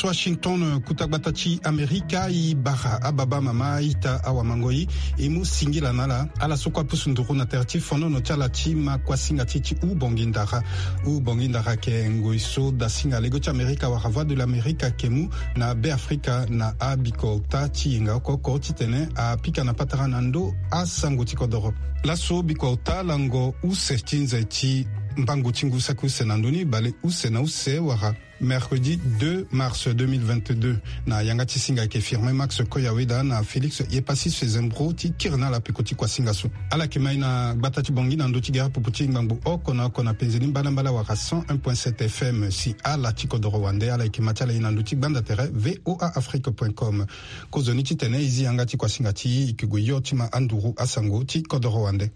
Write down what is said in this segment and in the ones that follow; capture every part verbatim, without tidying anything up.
Washington, kuta gbata ti Amerika, e bara ababa, amama, a-ita, awamangoi, e mu singila na ala ala so kue apusu nduru na tere ti fonono ti ala ti ma kuasinga ti e ti Hubongi Ndara. Hubongi Ndara ayeke ngoi so dasinga lege ti Amerika wala Voix de l'Amérique ayeke mu na Be Afrika na abiko ota ti yenga oko oko titene apika na patara na ndö asango ti kodoro. Laso biko ota lango use ti nze ti mbangu ti ngu saki use na ndö ni, bale use na use wala mercredi deux mars deux mille vingt-deux. Na yanga ti singa ayeke Firmin Max Koyaweda na Félix Yepassis Fezembro ti kiri na ala peko ti kuasinga so. Ala yeke mai na gbata ti Bangui na ndö ti gere pupu ti ngbangbo oko na oko na penze ni mbalambala wala cent un point sept F M. Si ala ti kodoro wande, ala yeke ma ti ala ye na ndö ti gbanda tere V O A Afrique point com. Kozoni titene e zi yanga ti kuasinga ti e, e ke gue hio ti ma anduru asango ti kodoro wande.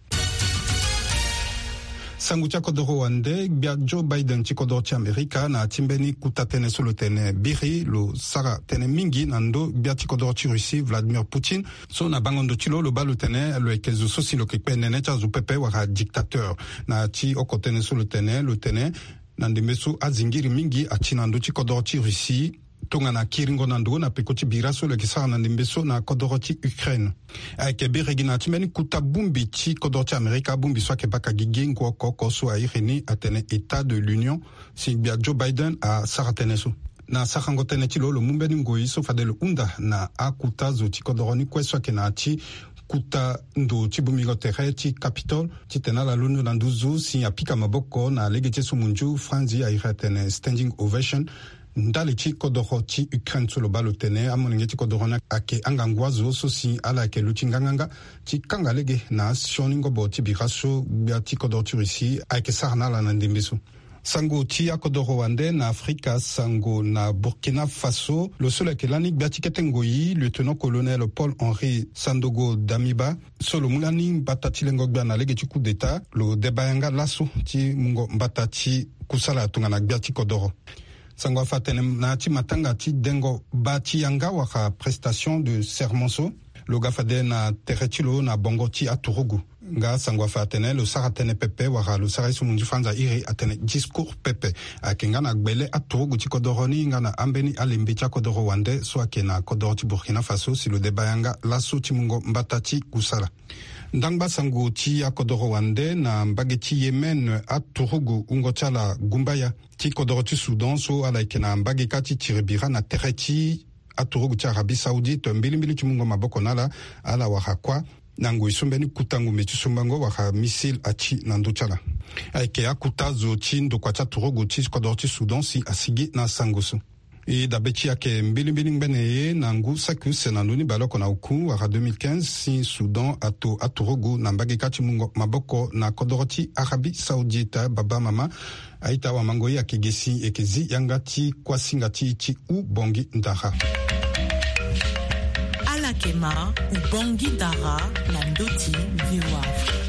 Sango ti akodoro wande, gbia Joe Biden ti kodoro ti Amerika na ya ti mbeni kuta tënë so lo tene biri lo sara tënë mingi na ndö gbia ti kodoro ti Russie, Vladimir Poutine, so na bango ndo ti lo lo baa lo tene lo yeke zo so si lo yeke kpe nene ti azo pepe wala dictateur. Na ya ti oko tënë so lo tene, lo tene na ndembe so azingiri mingi ati na ndö ti kodoro ti Russie, tongana kiringo na ndo na peko ti bira so lo yeke sara na ndembe so na kodoro ti Ukraine. Ayeke biri gi na ya ti mbeni kuta bongbi ti kodoro ti Amerika, bongbi so ayeke baka gigi ngu oko oko so a iri ni atene État de l'Union, si gbia Joe Biden asara tënë so. Na sarango tënë ti lo, lo mu mbeni ngoi so fade lo hunda na akuta zo ti kodoro ni kue so ayeke na ya ti kuta ndo ti bongbingo tere ti Capitole titene ala londo na nduzu si apika maboko na lege ti ye so munzu franzi a iri atene standing ovation. Ndali ti kodoro ti Ukraine so lo baa lo tene amolenge ti kodoro ni ayeke angangu azo so si ala yeke luti nganganga ti kanga lege na asioni ngobo ti bira so gbia ti kodoro ti Russie ayeke sara na ala na ndembe so. Sango ti akodoro wande na Afrika, sango na Burkina Faso, lo so lo yeke lani gbia ti kete ngoi, lieutenant-colonel Paul-Henri Sandaogo Damiba, so lo mu lani mbata ti lengo gbia na lege ti coup d'État, lo deba yanga laso ti mungo mbata ti kusala tongana gbia ti kodoro. Sango afa atene na ya ti matanga ti dengo baa ti yanga wala prestation de serment so, lo ga fade na tere ti lo na bongo ti aturugu. Nga sango afa atene lo sara tënë pepe wala lo sara ye so munzu franzi a iri atene discours pepe. Ayeke nga na gbele aturugu ti kodoro ni nga na ambeni alembe ti akodoro wande so ayeke na kodoro ti Burkina Faso si lo deba yanga laso ti mungo mbata ti kusala. Ndangba sango ti akodoro wande na mbage ti Yémen, aturugu wungo ti ala gumbaya ti kodoro ti Soudan so ala yeke na mbage kâ ti tiri bira na tere ti aturugu ti Arabie Saoudite, mbilimbili ti mungo maboko na ala, ala wara kuâ na ngoi so mbeni kuta ngumbe ti sombango wala missile ati na ndö ti ala. Ayeke akuta zo ti ndokua ti aturugu ti kodoro ti Soudan si asigi na sango so. E dabe ti ayeke mbilimbili ngbene ye na ngu saki use na ndö ni baleoko na oku wala deux mille quinze si Soudan ato aturugu na mbage kâ ti mungo maboko na kodoro ti Arabie Saoudite. Baba, mama, a-ita, awamangoi, ayeke ge si e yeke zi yanga ti kuasinga ti e ti Hubongi Ndara. Ala yeke ma Hubongi Ndara na ndö ti V O A Afrique.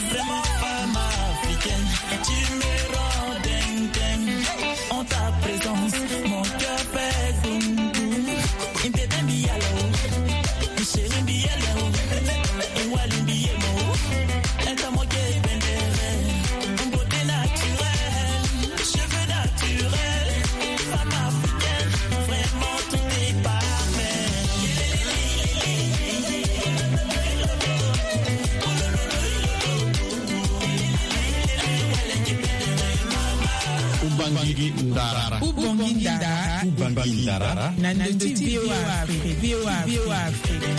Vraiment, femme africaine, tu me rends dingue, dingue. En ta présence, mon cœur fait boum, boum. Une bébé mi yalo, une chérie mi yalo, une wali mi yemo. Un temps mon cœur pendere, une beauté naturelle, cheveux naturels, femme africaine, vraiment tout est parfait. Hubongi Ndara. Hubongi Ndara. Hubongi Ndara. Na ndö ti V O A Afrique. V O A Afrique.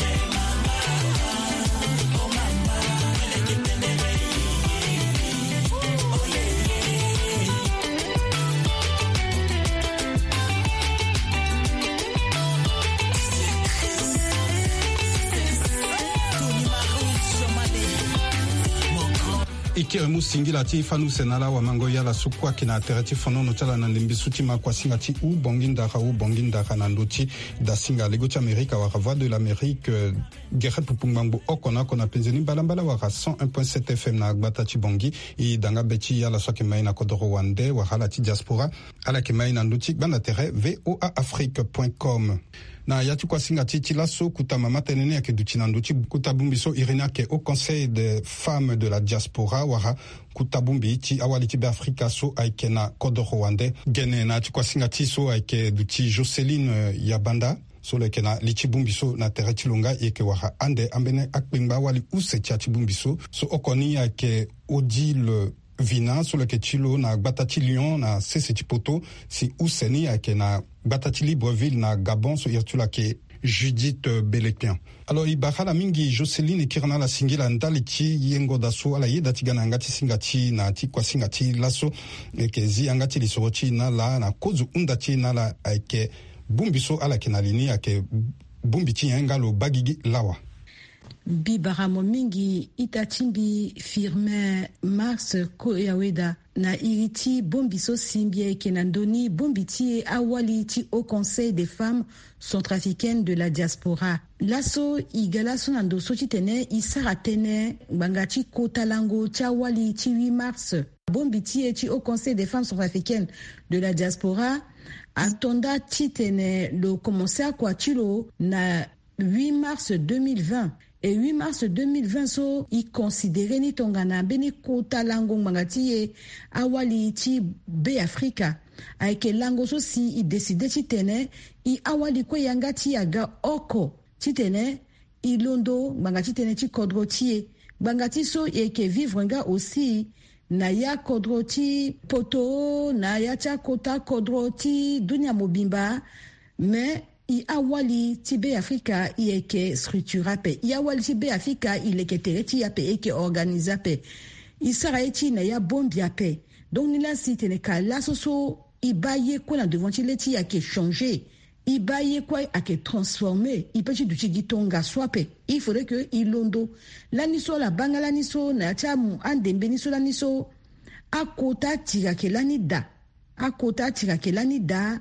E kiri mu singila ti fani use na ala, awamangoi, ala so kue ayeke na tere ti fonono ti ala na ndembe so ti ma kuasinga ti Hubongi Ndara, Hubongi Ndara na ndö ti dasinga lego ti Amerika wala Voix de l'Amérique, euh, gere pupu ngbangbo oko na oko na penze ni mbalambala wala cent un point sept F M na gbata ti Bangui. E da nga be ti ala so ayeke mai na kodoro wande wala ala ti diaspora, ala yeke mai na ndö ti gbanda tere V O A Afrique point com. Na ya ti kuasinga ti ti laso, kuta mama tënë ni ayeke duti na ndö ti kuta bongbi so iri ni ayeke Haut Conseil des Femmes de la Diaspora, wala kuta bongbi ti awali ti Beafrika so ayeke na kodoro wande. Gene na ya ti kuasinga ti so ayeke duti Jocelyne, eh, Yabanda, so lo yeke na li ti bongbi so na tere ti lo nga, e yeke wara ande ambeni akpengba awali use ti ya ti bongbi so. So oko ni ayeke Odile Vina, so lo yeke ti lo na gbata ti Lyon na sese ti poto, si use ni ayeke na gbata ti Libreville na Gabon, so iri ti lo ayeke Judith, euh, Belepian. Alors, e bara ala mingi Jocelyne, e kiri na ala singila ndali ti yengo daa so ala yeda ti ga na yanga ti singa ti na ti kuasinga ti laso. E yeke zi yanga ti lisoro ti e na ala na kozo hunda ti e na ala ayeke bongbi so ala yeke na li ni ayeke bongbi ti nyen nga lo baa gigi lawa. Mbi bara mo mingi ita ti mbi Firmin Marx Koyaweda. Na iri ti bongbi so si mbi yeke na ndö ni, bongbi ti e awali ti Haut Conseil des Femmes Centrafricaines de la Diaspora. Laso e ga laso na ndo so titene e sara tënë ngbanga ti kota lango ti awali ti huit mars. Bongbi ti e ti Haut Conseil des Femmes Centrafricaines de la Diaspora ato nda titene lo komanse akua ti lo na huit mars deux mille vingt. E huit mars deux mille vingt so, e considéré ni tongana mbeni kota lango ngbanga ti e awali ti Beafrika. Ayeke lango so si e décidé titene e awali kue yanga ti e aga oko titene e londo ngbanga ti tënë ti kodro ti e. Ngbanga ti so e yeke vivre nga aussi na ya kodro ti poto, na ya ti akota kodro ti dunia mobimba. Mais e awali ti Beafrika e yeke structuré ape. E awali ti Beafrika e leke tere ti e ape, e yeke organisé ape. E sara ye ti e na ya bongbi ape. Donc ni laa si tene ka laso so e baa ye kue na devant ti le ti e ayeke changé. E baa ye kue ayeke transformé. E peut ti duti gi tongaso ape. Il faudrait que e londo. Lani so ala baa nga lani so na ya ti amu andembe ni so lani so, akota atiri ayeke lani daa. Akota atiri ayeke lani daa.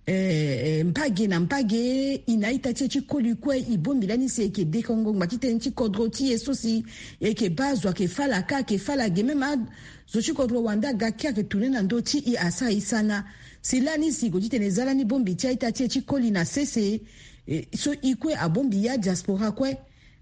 Eh, eh, mbage na mbage, e na a-ita ti e ti koli kue, e bongbi lani si e yeke dekongo ngba ti tënë ti kodro ti e so si e yeke baa zo ayeke fâ ala ka, ayeke fâ ala ge, même azo ti kodro wande aga kiri ayeke tourné na ndö ti e, asara e sana. Si lani si e gue titene e za lani bongbi ti a-ita ti e ti koli na sese, eh, so e kue abongbi ya diaspora kue.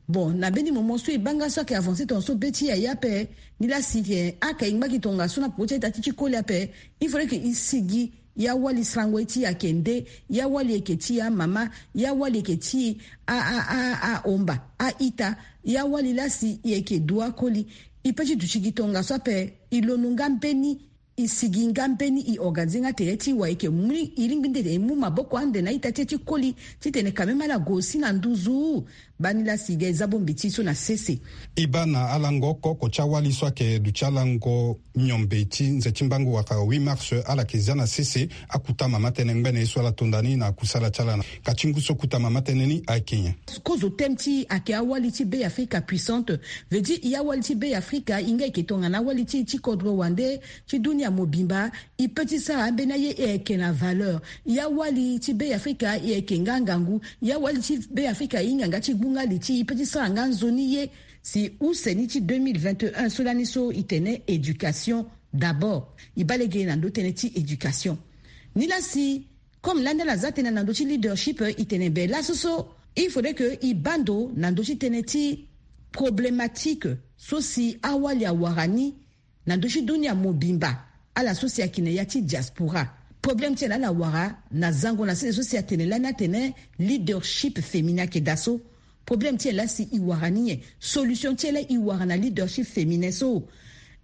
Bon, na mbeni moment so e baa nga so ayeke avancé tongaso be ti e aye ape. Ni laa si, eh, aka e ngba gi tongaso na peko ti a-ita ti e ti koli ape, il faudrait que e sigi. Ya wali sarango ye ti e ayeke nde? Ya wali yeke ti e amama? Ya wali yeke ti e a, a, a, ahomba, a-ita? Ya wali laa si e yeke du akoli? E peut ti duti gi tongaso ape. E londo nga mbeni, e sigi nga mbeni, e organisé nga tere ti e, wala e yeke mu, e lingbi nde e mu maboko ande na a-ita ti e ti koli titene quand même ala gue aussi na nduzu? Baa ni laa si e ga e za bongbi ti e so na sese. E baa na alango oko oko ti awali so ayeke duti alango miombe ti nze ti mbangu wala huit mars, ala yeke za na sese akuta mama tënë ngbene ye so ala to nda ni na kusala ti ala na ka ti ngu so kuta mama tënë ni ayeke nyen? Kozo thème ti e ayeke awali ti Beafrika puissante. Veut dire e awali ti Beafrika e nga e yeke tongana awali ti e ti kodro wande ti dunia mobimba. E peut ti sara ambeni aye, e yeke na valeur. E awali ti Beafrika e yeke nga ngangu. E awali ti Beafrika e hinga nga ti gbu nga li ti e, e peut ti sara nga nzoni ye. Si use ni ti deux mille vingt et un so lani so e tene éducation d'abord. E baa lege na ndö tënë ti éducation. Ni laa si, comme lani ala za tënë na ndö ti leadership, e tene be laso so il faudrait que e baa ndo na ndö ti tënë ti problématique so si awali awara ni na ndö ti dunia mobimba. Ala so si ayeke na ya ti diaspora, problème ti ala ala wara na zango na sese so si atene lani atene leadership féminin ayeke daa so. Problème ti e laa si e wara ni nyen? Solution ti e laa e wara na leadership féminin so,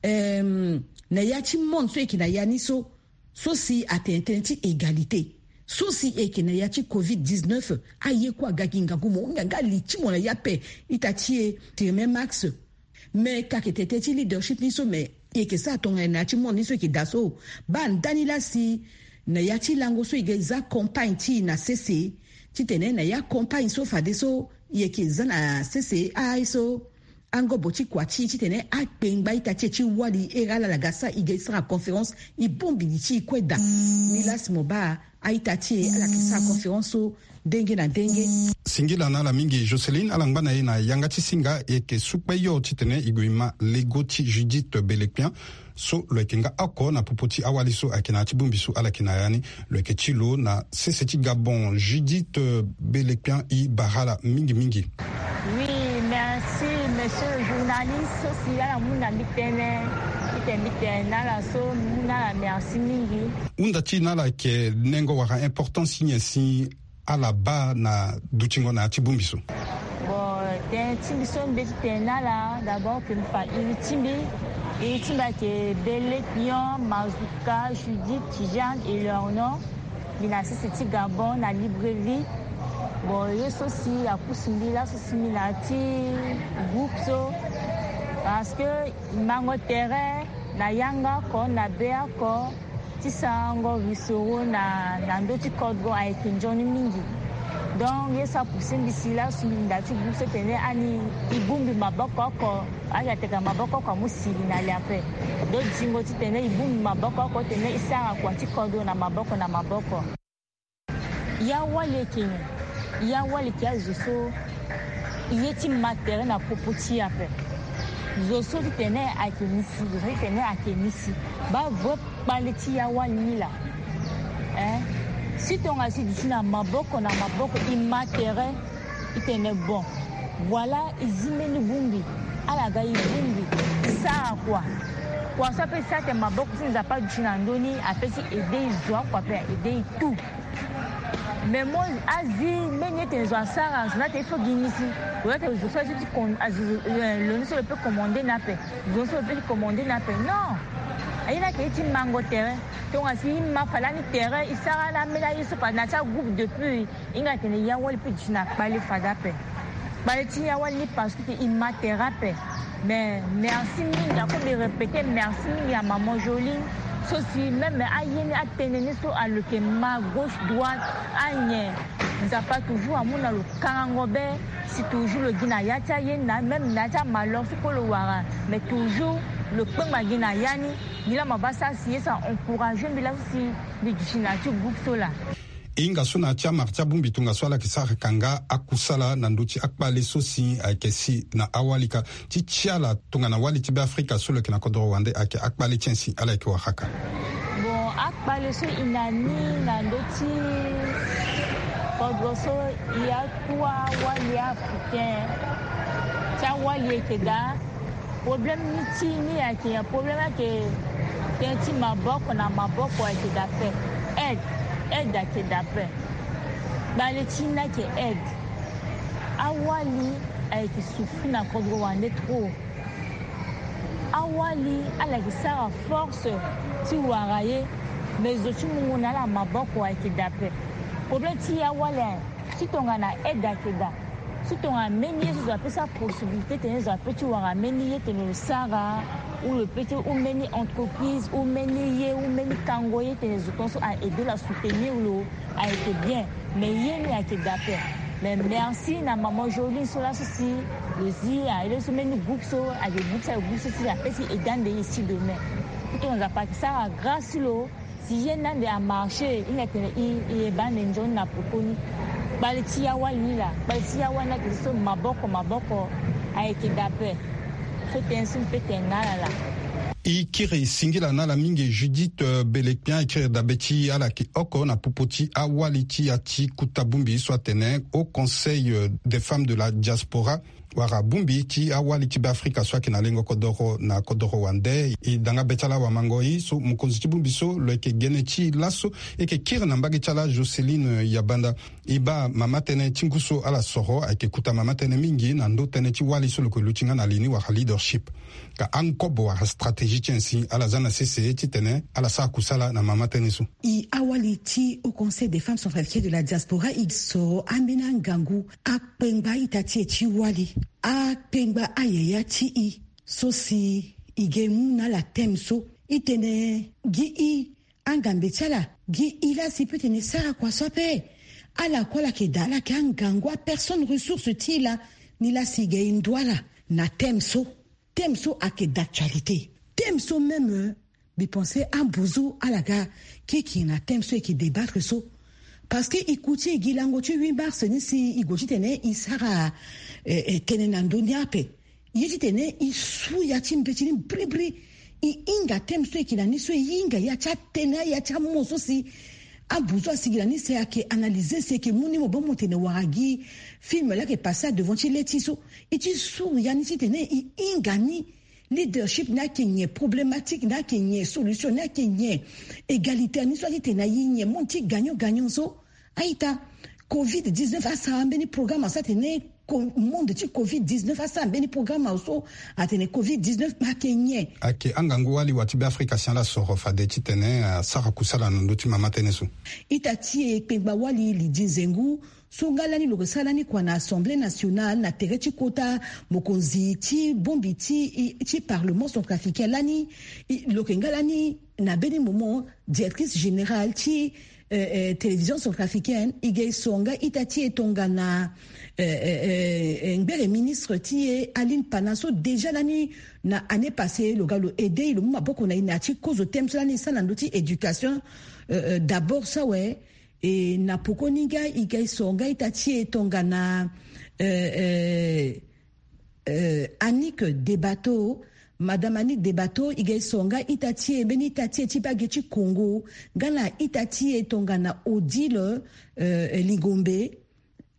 euh, na ya ti monde so e yeke na ya ni so, so si atene tënë ti égalité, so si e yeke na ya ti covid dix-neuf, aye kue aga gi ngangu, mo hinga nga li ti mo na ya ape. Ita ti e, Firmin Marx. Mais ka yeke tene tënë ti leadership ni so, mais e yeke sara tongana na ya ti monde ni so e yeke daa so. Baa ndani laa si na ya ti lango so e ga e za campagne ti e na sese, titene na ya campagne so fadeso e yeke za na sese, aye so angobo ti kua ti e titene akpengba ita ti e ti wali, here ala ala ga sara, e ga e sara conférence, e bongbi li ti e kue daa. Ni laa si mo baa A-ita ti e ala yeke sara conférence so denge na denge. Singila na ala mingi Joceline, ala ngba na e na yanga ti singa. E yeke su kpe yo titene e gue e ma lego ti Judith Belekpian so lo yeke nga oko na popo ti awali so ayeke na ya ti bongbi so ala yeke na ya ni. Lo yeke ti lo na sese ti Gabon. Judith Belekpian, e bara ala mingi mingi. Oui, merci monsieur le journaliste. So si ala mu na mbi tënë, mbi tene mbi tene na ala so mbi mu na ala merci mingi. Hunda ti e na ala yeke nengo wala importance ti nyen si ala baa na dutingo na ya ti bongbi so? Bon, tënë ti mbi so mbi be ti tene na ala d'abord ke mbi fa iri ti mbi. Iri ti mbi ayeke Belekpian Mazuka Judith Tijane Eleonore. Mbi na sese ti Gabon na Libreville. Bon, ye so si apusu mbi laso si mbi na ya ti groupe so, parce que mango tere na yanga oko na be oko ti sarango risoro na, na ndö ti kodro ayeke nzoni mingi. Donc ye so apousser mbi si laso mbi na ya ti groupe so tene ani e bongbi maboko oko. Ake ateka maboko oko amu sili na le ape. Donc dingo titene e bongbi maboko oko tene e sara kua ti kodro na maboko na maboko. Ya wali eke nyen? Ya wali eke azo so ye ti ma tere na popo ti e ape. Zo so ti tene ayeke ni si, zo so ti tene ayeke ni si. Baa vrai kpale ti ya wali ni laa. Eh? Si tonga si duti na maboko na maboko e ma tere, e tene bon, voilà, e zi mbeni bongbi. Ala ga e bongbi, e sara kua. Kua so ape e sara tene maboko ti Nzapa aduti na ndö ni, ape ti aider e zo akua ape, aider e tout. Mais mo azi mbeni ye tene zo asara, zo ni atene il faut gi ni si. Lo ni atene zo so azi ti con-, azi, eh, lo ni so lo peut commander ni ape. Zo ni so lo peut ti commander ni ape. Non. Aye ni ayeke ye ti mango tere. Tonga si e ma fade ani tere, e sara ala ambeni aye so fade na ya ti agroupe depuis. Hinga tene ya wali peut duti na kpale fade ape. Kpale ti ya wali ni parce que e ma tere ape. Mais merci mingi, ako mbi répéter merci mingi à maman Jolie. So si même aye ni atënë ni so alo yeke ma gauche droite, anyen, Nzapa toujours amu na lo kangango be. Si toujours lo gi na ya ti aye ni na même na ya ti amalheur so kue lo wara, mais toujours lo kpengba gi na ya ni. Nilaa mo baa sara si ye so a encourager mbi laso si mbi duti na ya ti groupe so laa. E hinga so na ya ti amara ti abongbi tongaso ala yeke sara kanga akusala na ndö ti akpale so si ayeke si na awali ka ti ti ala tongana wali ti Beafrika so lo yeke na kodoro wande ayeke akpale ti nyen si ala yeke wara ka? Bon, akpale so e na ni na ndö ti kodro so e atu awali africain ti awali eke daa. Problème ni ti ni ayeke nyen? Problème ayeke tënë ti maboko na maboko ayeke daa ape. Aide, aide ayeke daa ape. Kpale ti ni ayeke aide. Awali ayeke souffrir na kodro wande trop. Awali ala yeke sara force ti wara ye, mais zo ti mungo na ala maboko ayeke daa ape. Problème ti awali aye, si tongana aide ayeke daa, si tongana mbeni ye so zo ape sara possibilité tene zo ape ti wara mbeni ye tene lo sara, ou lo peut ti ou mbeni entreprise ou mbeni ye ou mbeni kango ye tene zo tongaso a aider lo, a soutenir lo, ayeke bien. Mais ye ni ayeke daa ape. Mais merci na maman Jolie so laso si lo zi aye so mbeni groupe so ayeke groupe so, ayeke groupe so si ape ti aider ande ye si domaine. Pourtant Nzapa ayeke sara grâce ti lo. Si ye ni ande amarché, e hinga tene e, e ye baa ande nzoni na pokoni. Kpale ti ya wali ni laa, kpale ti ya wali ni ayeke so maboko maboko ayeke daa ape. So tënë so mbi peut tene na ala laa. E kiri singila na ala mingi Judith, euh, Belekpian, e kiri dabe ti ala yeke oko na popo ti awali ti ya ti kota bongbi so atene Haut Conseil, euh, des femmes de la diaspora, wala bongbi ti awali ti Beafrika so ayeke na lengo kodoro na kodoro wande. E da nga be ti ala awamango-i so mokonzi ti bongbi so lo yeke gene ti e laso. E yeke kiri na mbage ti ala Joceline Yabanda. E baa mama tënë ti ngu so ala soro ayeke kota mama tënë mingi na ndö tënë ti wali so lo yeke luti nga na li ni wala leadership. Ka angobo wala stratégie ti nyen si ala za na sese titene ala sara kusala na mama tënë so? E awali ti Haut Conseil des femmes centrafricaines de la diaspora, e soro ambeni angangu akpengba a-ita ti e ti wali, akpengba ayaya ti e so si e ge mu na ala thème so, e tene gi e angambe ti ala, gi e laa si e peut tene sara kua so ape. Ala kue ala yeke daa, ala yeke angangu, apersonne ressource ti e laa. Ni laa si e ge e ndu ala na thème so. Thème so ayeke d'actualité. Thème so même, euh, Mbi pense ambuzu ala ga kiki na thème so e ke débattre so. Parce que e ku ti e gi lango ti huit mars ni si e gue titene e sara eh, eh, tënë na ndö ni ape. Ye titene e su ya ti mbeti ni bribri. E hinga thème so e ke na ni so, e hinga ya ti atënë, ya ti amo so si ambuzu asigi na ni si ayeke analyser, si e ke mu ni mo bâ mo tene wara gi film laa ayeke passer adevant ti le ti e so. E ti su ya ni titene e hinga ni. Leadership ni ayeke nyen, problématique ni ayeke nyen, solution ni ayeke nyen, égalité ni so atitene aye nyen, monde ti gagnant gagnant so. A-ita, covid dix-neuf asara mbeni programme so atene ko- monde ti covid dix-neuf asara mbeni programme so atene covid dix-neuf ayeke nyen. Ayeke angangu wali wa ti Beafrika si ala soro fade titene asara kusala na ndö ti mama tënë so. Ita ti e kpengba wali Lydie Nzengu, so nga lani lo yeke sara lani kua na Assemblée nationale na tere ti kota mokonzi ti bongbi ti, ti parlement centrafricain lani. Lo yeke nga lani na mbeni moment directrice générale ti eh, eh, télévision centrafricaine. E ga e so nga ita ti e tongana eh, eh, eh, eh, ngbere ministre ti e Aline Pana so déjà lani na année passée lo ga lo aidé e, lo mu maboko na e na ya ti kozo thème so lani e sara na ndö ti éducation eh, eh, d'abord so awe. E na pokoni nga e ga e so nga ita ti e tongana eh, eh, eh, Annick Debato. Madame Annick Debato, e ga e so nga ita ti e, mbeni ita ti e ti bage ti Congo, nga na ita ti e tongana Odile eh, Lingombe.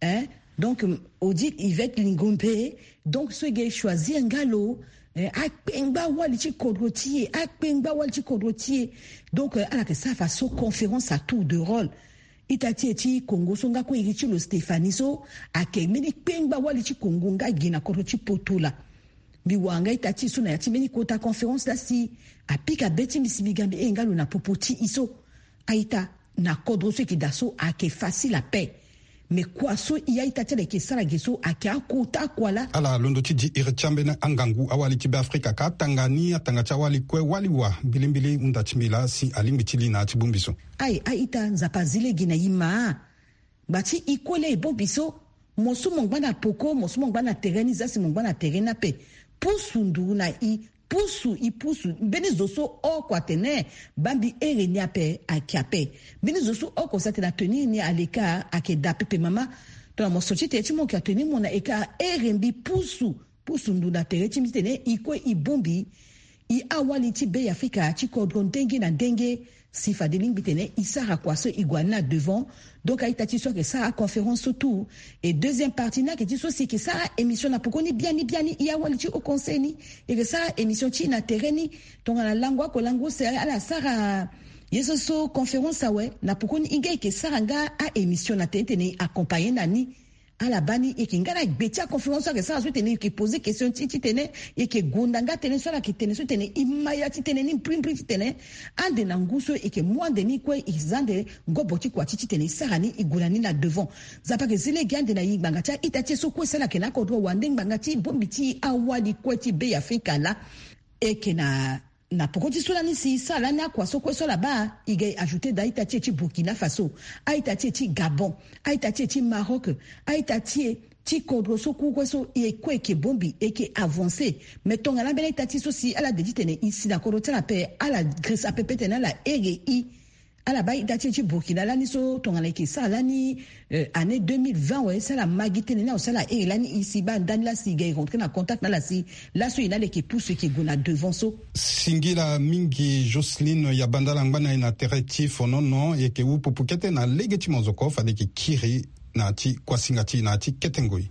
Hein? Donc Odile Yvette Lingombe. Donc so e ga e choisir nga lo eh, akpengba wali ti kodro ti e, akpengba wali ti kodro ti e. Donc eh, ala yeke sara faso conférence à tour de rôle. Ita ti e ti Congo so nga kue iri ti lo Stéphanie so ayeke mbeni kpengba wali ti Congo nga gi na kodro ti poto laa. Mbi wara nga ita ti e so na ya ti mbeni kota conférence laa si apika be ti mbi si mbi ga mbi hee nga lo na popo ti e so. A-ita, na kodro so e yeke daa so ayeke facile ape. Mais kua so e a-ita ti ala e yeke sara ge so ayeke akota kua laa. Ala londo ti di iri ti ambeni angangu awali ti Beafrika ka atanga ni atanga ti awali kue wali wa mbilimbili hunda ti mbi laa si alingbi ti li na ya ti bongbi so. Aye, a-ita, Nzapa azi lege na e ma. Ngba ti e kue laa e bongbi so. Mo so mo ngba na poko, mo so mo ngba na tere ni, za si mo ngba na tere ni ape. Pusu nduru na e, pusu e pusu. Mbeni zo so oko atene baa mbi here ni ape, ayeke ape. Mbeni zo so oko si atene atenir ni aleka, ayeke daa pepe mama. Tongana mo so ti tere ti mo yeke atenir mo na eka, here mbi pusu. Pusu nduru na tere ti mbi titene e kue e bongbi e awali ti Beafrika ti kodro ndenge na ndenge. Si fade lingbi titene e sara kua so e gue na ni na devant. Donc a-ita ti e so ayeke sara aconférence so tout. Et deuxième partie ni ayeke ti e so si e yeke sara émission na pokoni biani biani, e awali ti haut conseil ni, e yeke sara émission ti e na tere ni. Tongana lango oko lango use ala sara ye so so conférence awe, na pokoni e nga e yeke sara nga a-émission na tere titene e accompagner na ni. Ala baa ni, e yeke nga na gbe ti aconférence so ayeke sara so titene e yeke poser question ti e titene e yeke gonda nga tënë so ala yeke tene so titene e ma ya ti tënë ni mbrimbri titene ande na ngu so e yeke mu ande ni kue e za ande ngobo ti kua ti titene e sara ni, e gue na ni na devant. Nzapa ayeke zi lege ande na e ngbanga ti a-ita ti e so kue si ala yeke na akodro wande ngbanga ti bongbi ti awali kue ti Beafrika laa. E yeke na Na poko ti so lani si e sara lani akua so kue so ala baa, e ga e ajouter daa a-ita ti e ti Burkina Faso, a-ita ti e ti Gabon, a-ita ti e ti Maroc, a-ita ti e ti kodro so kue so e kue e yeke bongbi, e yeke avancer. Mais tongana ambeni a-ita ti e so si ala de titene e si na kodro ti ala ape, ala girisa pepe titene ala here e. Ala baa a-ita ti e ti Burkina lani so tongana e yeke sara lani, eh, année deux mille vingt awe, si ala ma gi tënë ni awe, si ala here lani e si baa ndani laa si e ga e rentrer na contact na ala si laso e na ala e yeke pusu e yeke gue na devant so. Singila mingi Jocelyne Yabandala angba na e na tere ti fonono, e yeke wu pupu kete na lege ti mozoko fade e yeke kiri na ya ti kuasinga ti e na ya ti kete ngoi.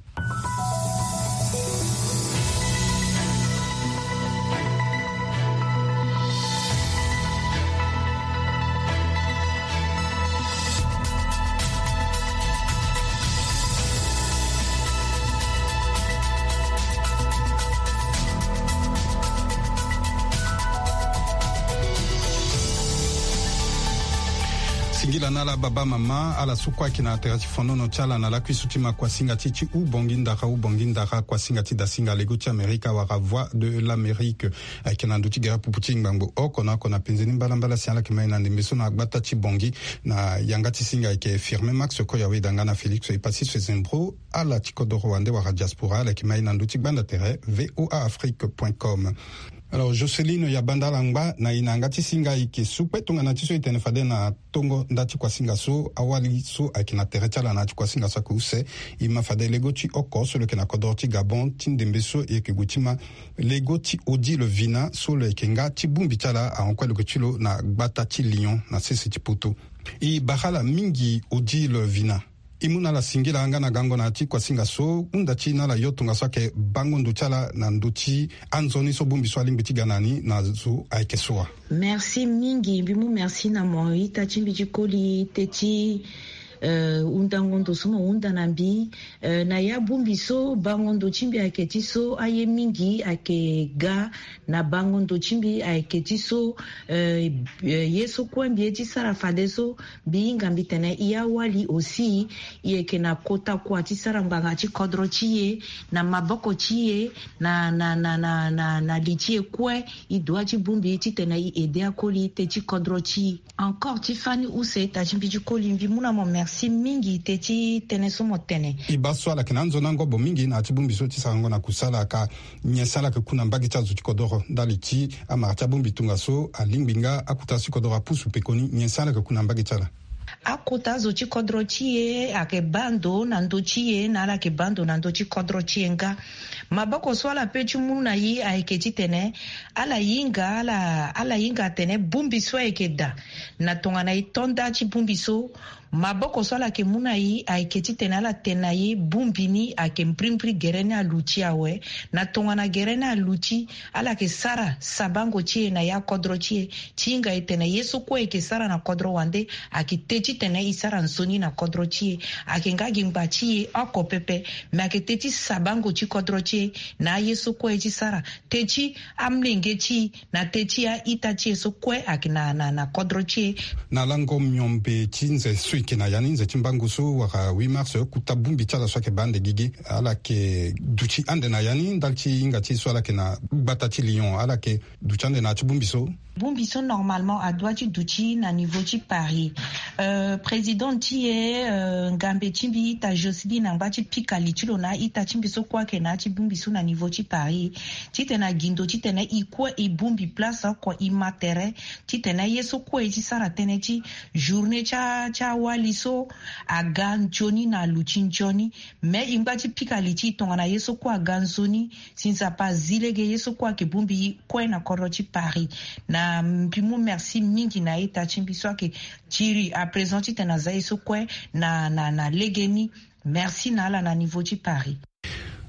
Singila na ala baba mama, ala so kue ayeke na tere ti fonono ti ala na lakui so ti ma kuasinga ti e ti Ubongi ndara, Ubongi ndara, kuasinga ti dasinga lego ti Amerika wala Voix de l'Amérique. Ayeke na ndö ti gere pupu ti ngbangbo oko na oko na penze ni mbalambala si ala yeke ma e na ndembe so na gbata ti Bongi. Na yanga ti singa ayeke Firmin Max Koyawe, danga na Félix Epassis Fezembro, ala ti kodoro wande wala diaspora, ala yeke ma e na ndö ti gbanda tere V O A Afrique point com. Alors, Joceline Yabanda Langba, na e na yanga ti singa, e yeke su kpe tongana ti so e tene fade na tongo nda ti kuasinga so, awali so ayeke na tere ti ala na ya ti kuasinga so ayeke use. E ma fade lego ti oko so lo yeke na kodoro ti Gabon ti ndembe so e yeke gue ti ma lego ti Odile Vina so lo yeke nga ti bongbi ti ala ahon kue lo yeke ti lo na gbata ti Lyon na sese ti poto. E bara ala mingi Odile Vina. E mu na ala singila nga na gango na ya ti kuasinga so, hunda ti na ala yo tongaso ayeke bango ndo ti ala na ndö ti anzoni so bongbi so alingbi ti ga na ni na zo ayeke so wa. Merci mingi, mbi mu merci na mo ita ti mbi ti koli te ti, eh, hundango ndo so mo hunda na mbi. Eh, na ya bongbi so bango ndo ti mbi ayeke ti so, aye mingi ayeke ga na bango ndo ti mbi ayeke ti so, eh, eh, ye so kue mbi ye ti sara fadeso, mbi hinga mbi tene e awali aussi, e yeke na kota kua ti sara ngbanga ti kodro ti e, na maboko ti e, na, na, na, na, na, na li ti e kue, e dua ti bongbi titene e aide akoli te ti kodro ti e. Encore ti fani use ita ti mbi ti koli, mbi mu na mo merci mingi te ti tënë so mo tene. E baa so ala yeke na anzoni angobo mingi na ya ti bongbi so ti sarango na kusala, ka nyen si ala yeke ku na mbage ti azo ti kodoro ndali ti amara ti abongbi tongaso alingbi nga akota si kodoro apusu pekoni, nyen si ala yeke ku na mbage ti ala? Akota zo ti kodro ti e ayeke baa ndo na ndö ti e, na ala yeke baa ndo na ndö ti kodro ti e nga. Maboko so ala peut ti mu na e ayeke titene ala hinga, ala, ala hinga atene bongbi so ayeke daa. Na tongana e to nda ti bongbi so, maboko so ala yeke mu na e ayeke titene ala tene na e bongbi ni ayeke mbrimbri gere ni aluti awe. Na tongana gere ni aluti, ala yeke sara sabango ti e na ya kodro ti e. Ti hinga e tene ye so kue e yeke sara na kodro wande, ayeke te titene e sara nzoni na kodro ti e. Ayeke nga gi ngba ti e oko pepe, me ayeke te ti sabango ti kodro ti e na aye so kue e ti sara, te ti amolenge ti e, na te ti a-ita ti e so kue ayeke na, na, na kodro ti e. Na lango miombe ti nze so e yeke na ya ni, nze ti mbangu so wala huit mars, kota bongbi ti ala so ayeke baa ande gigi, ala yeke duti ande na ya ni ndali ti hinga ti e so ala yeke na gbata ti Lyon, ala yeke duti ande na ya ti bongbi so. Bongbi so normalement adua ti duti na niveau ti Paris. Euh, président ti e, euh, ngambe ti mbi ita Jocelyne angba ti pika li ti lo na a-ita ti mbi so kue ayeke na ya ti bongbi so na niveau ti Paris, titene agindo titene e kue e bongbi place oko e ma tere, titene ye so kue e ti sara tënë ti journée ti a, ti awali so aga nzoni na aluti nzoni. Me e ngba ti pika li ti e tongana ye so kue aga nzoni, si Nzapa azi lege ye so kue ayeke bongbi e kue na kodro ti Paris. Na mbi mu merci mingi na a-ita ti mbi so ayeke tiri à présent titene aza ye so kue na, na, na legeni. Merci na ala na niveau ti Paris.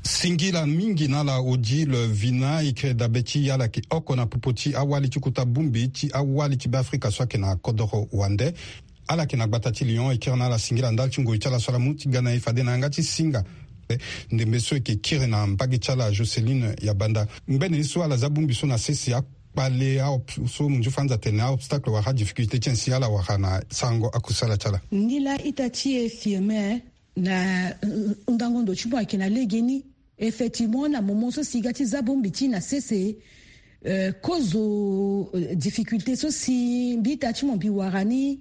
Singila mingi na ala Odile Vina, e kiri dabe ti ala yeke oko na popo ti awali ti kota bongbi ti awali ti Beafrika so ayeke na kodoro wande. Ala yeke na gbata ti Lyon, e kiri na ala singila ndali ti ngoi ti ala so ala mu ti ga na e fade na yanga ti singa. Ndembe so e yeke kiri na mbage ti ala Jocelyne Yabanda. Ngbene ye so ala za bongbi so na sese, akpale, aop-, so munzu fanza atene, a-obstacle wala adifficulté ti nyen si ala wara na sarango akusala ti ala? Nilaa ita ti e Firmin, na, euh, hundango ndo ti mo ayeke na legeni. Effectivement, na moment so si e ga ti za bongbi ti e na sese, euh, kozo, euh, difficulté so si mbi ita ti mo mbi wara ni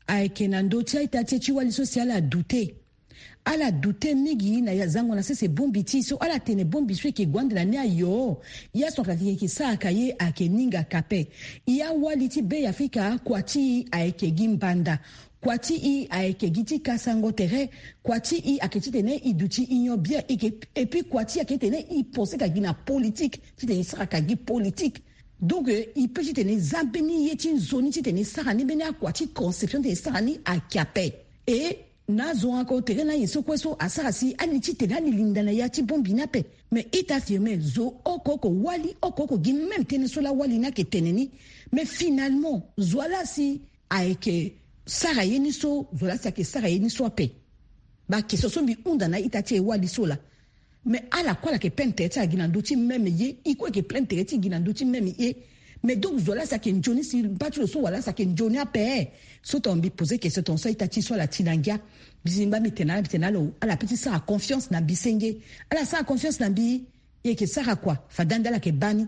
ayeke na ndö ti a-ita ti e ti wali so si ala douter. Ala douter mingi na ya zango na sese bongbi ti e so ala tene bongbi so e yeke gue ande na ni ayo. Ya so ayeke sara ka ye ayeke ningaka ape. E awali ti Beafrika, kua ti e ayeke gi mbanda. Kua ti e ayeke gi ti kasango tere. Kua ti e ayeke titene e duti union bien. E yeke, et puis kua ti e ayeke titene e pense ka gi na politique, titene e sara ka gi politique. Donc, euh, e peut titene e za mbeni ye ti nzoni titene e sara ni, mbeni akua ti conception titene e sara ni ayeke ape. Et na azo oko tere na aye so kue so asara si ani titene ani linda na ya ti bongbi ni ape. Mais ita Firmin, zo oko oko wali, oko oko gi même tënë so laa wali ni ayeke tene ni. Mais finalement, zo wa laa si ayeke sara ye ni so, zo wa laa si ayeke sara ye ni so ape. Bakestion so mbi hunda na a-ita ti e wali so laa. Mais ala kue ala yeke plaindre tere ti ala gi na ndö ti même ye, e kue e yeke plaindre tere ti e gi na ndö ti même ye. Mais donc zo wa laa si ayeke nzoni si mba ti lo so wa laa si ayeke nzoni ape. So tongana mbi poser question tongaso a-ita ti e so ala ti na ngia. Mbi si ngba mbi tene na ala, mbi tene na ala, ala peut ti sara confiance na mbi senge. Ala sara confiance na mbi, e yeke sara kua, fade ande ala yeke baa ni.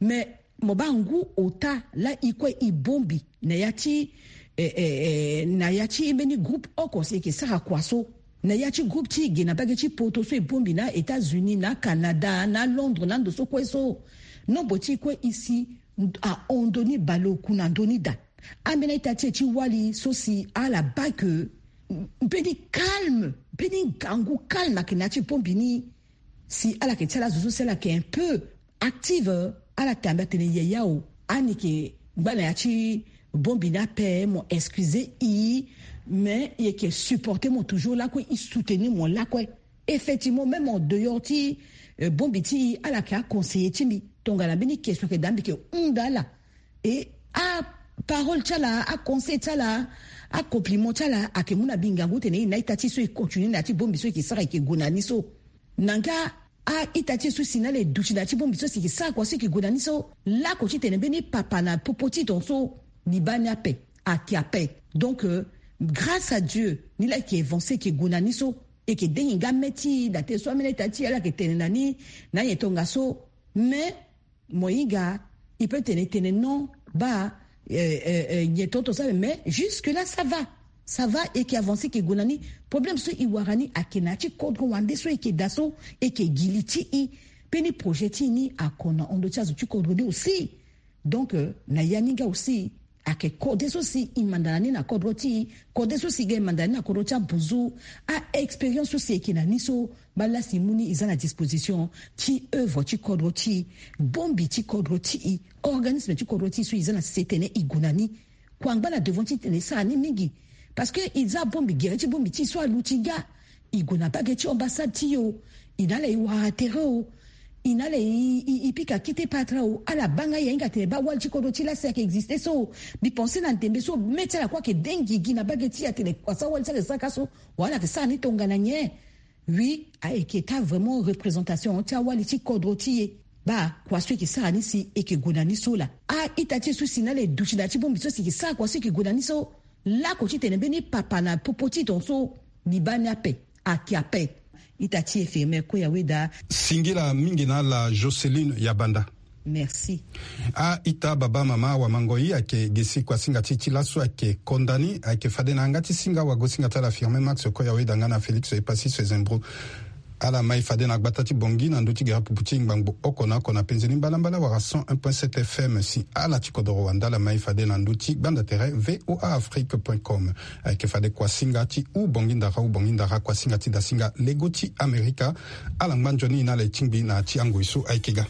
Mais mo baa ngu ota laa e kue e bongbi na ya ti, eh, eh, eh, na ya ti mbeni groupe oko si e yeke sara kua so. Na ya ti groupe ti e ge na mbage ti poto so e bongbi na États-Unis, na Canada, na Londres, na ndo so kue so. Nombre ti e kue e si ahon ndoni baleoku na ndö ni daa. Ambeni a-ita ti e ti wali so si ala baa ke mbeni calme, mbeni ngangu calme ayeke na ya ti bongbi ni. Si ala yeke ti ala zo so si ala yeke un peu active, ala tambe atene yaya o, ani yeke ngba na ya ti bongbi ni ape, mo excusez e, mais e yeke supporter mo toujours lakue, e soutenir mo lakue. Effectivement, même en dehors ti, euh, bongbi ti e, ala yeke aconseiller ti mbi. Tongana mbeni question ayeke daa, mbi yeke hunda ala. Et aparole ti ala, aconseil ti ala, acompliment ti ala ayeke mu na mbi ngangu titene e na a-ita ti e so e continue na ya ti bongbi so e yeke sara, e yeke gue na ni so. Na nga a-ita ti e so si na ala e duti na ya ti bongbi so si e yeke sara kua so e yeke gue na ni so. Lako titene mbeni papa na popo ti e tongaso, mbi baa ni ape, ayeke ape. Donc, euh, grâce à Dieu, ni laa e yeke avancer, e yeke gue na ni so. E yeke dengi nga mê ti e na tene so ambeni a-ita ti e ala yeke tene na ni na nyen tongaso. Mais mo hinga, e peut tene tene non, baa, euh, euh, euh, nyen tongaso ape, mais jusque là ça va. Ça va, e yeke avancer, e yeke gue na ni. Problème so e wara ni ayeke na ya ti kodro wande so e yeke daa so, e yeke gi li ti e. Mbeni projet ti e ni ako na hon ndö ti azo ti kodro ni aussi. Donc, euh, na ya ni nga aussi, ayeke kode so si e manda na ni na kodro ti e, kode so si e ga e manda na ni na kodro ti abuzu. A-expérience so si e yeke na ni so, baa laa si e mu ni, e za na disposition ti œuvre ti kodro ti e, bongbi ti kodro ti e, organisme ti kodro ti e so e za na sese titene e gue na ni. Kua ngba na devant ti titene e sara ni mingi. Parce que e za bongbi, gere ti bongbi ti e so aluti nga. E gue na mbage ti ambassade ti e o, e na ala e wara tere o, e na ala e, e, e pika kete patra o. Ala baa nga, e hinga tene baa wali ti kodro ti e laa si ayeke existe so. Mbi pense na ndembe so mê ti ala kue ayeke dengi gi na mbage ti e atene kua so awali ti ala ayeke sara ka so, wala ala yeke sara ni tongana nyen? Oui, ayeke taa vraiment représentation ti awali ti kodro ti e. Baa kua so e yeke sara ni si e yeke gue na ni so laa. A-ita ti e so si na ala e duti na ya ti bongbi so si e yeke sara kua so e yeke gue na ni so. Lako titene mbeni papa na popo ti e tongaso, mbi baa ni ape, ayeke ape. Ita ti e Firmin Koya Weda. Singila mingi na ala, Joceline Yabanda. Merci. A-ita, baba, mama, awamangoi, ayeke ge si kuasinga ti e ti laso ayeke konda ni. Ayeke fade na yanga ti singa wagosinga ti ala Firmin Max Koya Weda nga na Félix Epasis Zembro. Ala mai fade na gbata ti Bangui na ndö ti gere pupu ti ngbangbo oko na oko na penze ni mbalambala wala cent un point sept F M. Si ala ti kodoro wande, ala mai fade na ndö ti gbanda tere V O A Afrique point com. Ayeke fade kuasinga ti u Bangui ndara, u Bangui ndara, kuasinga ti dasinga lego ti Amerika. Ala ngba nzoni na ala e tingbi na ya ti angoi so ayeke ga.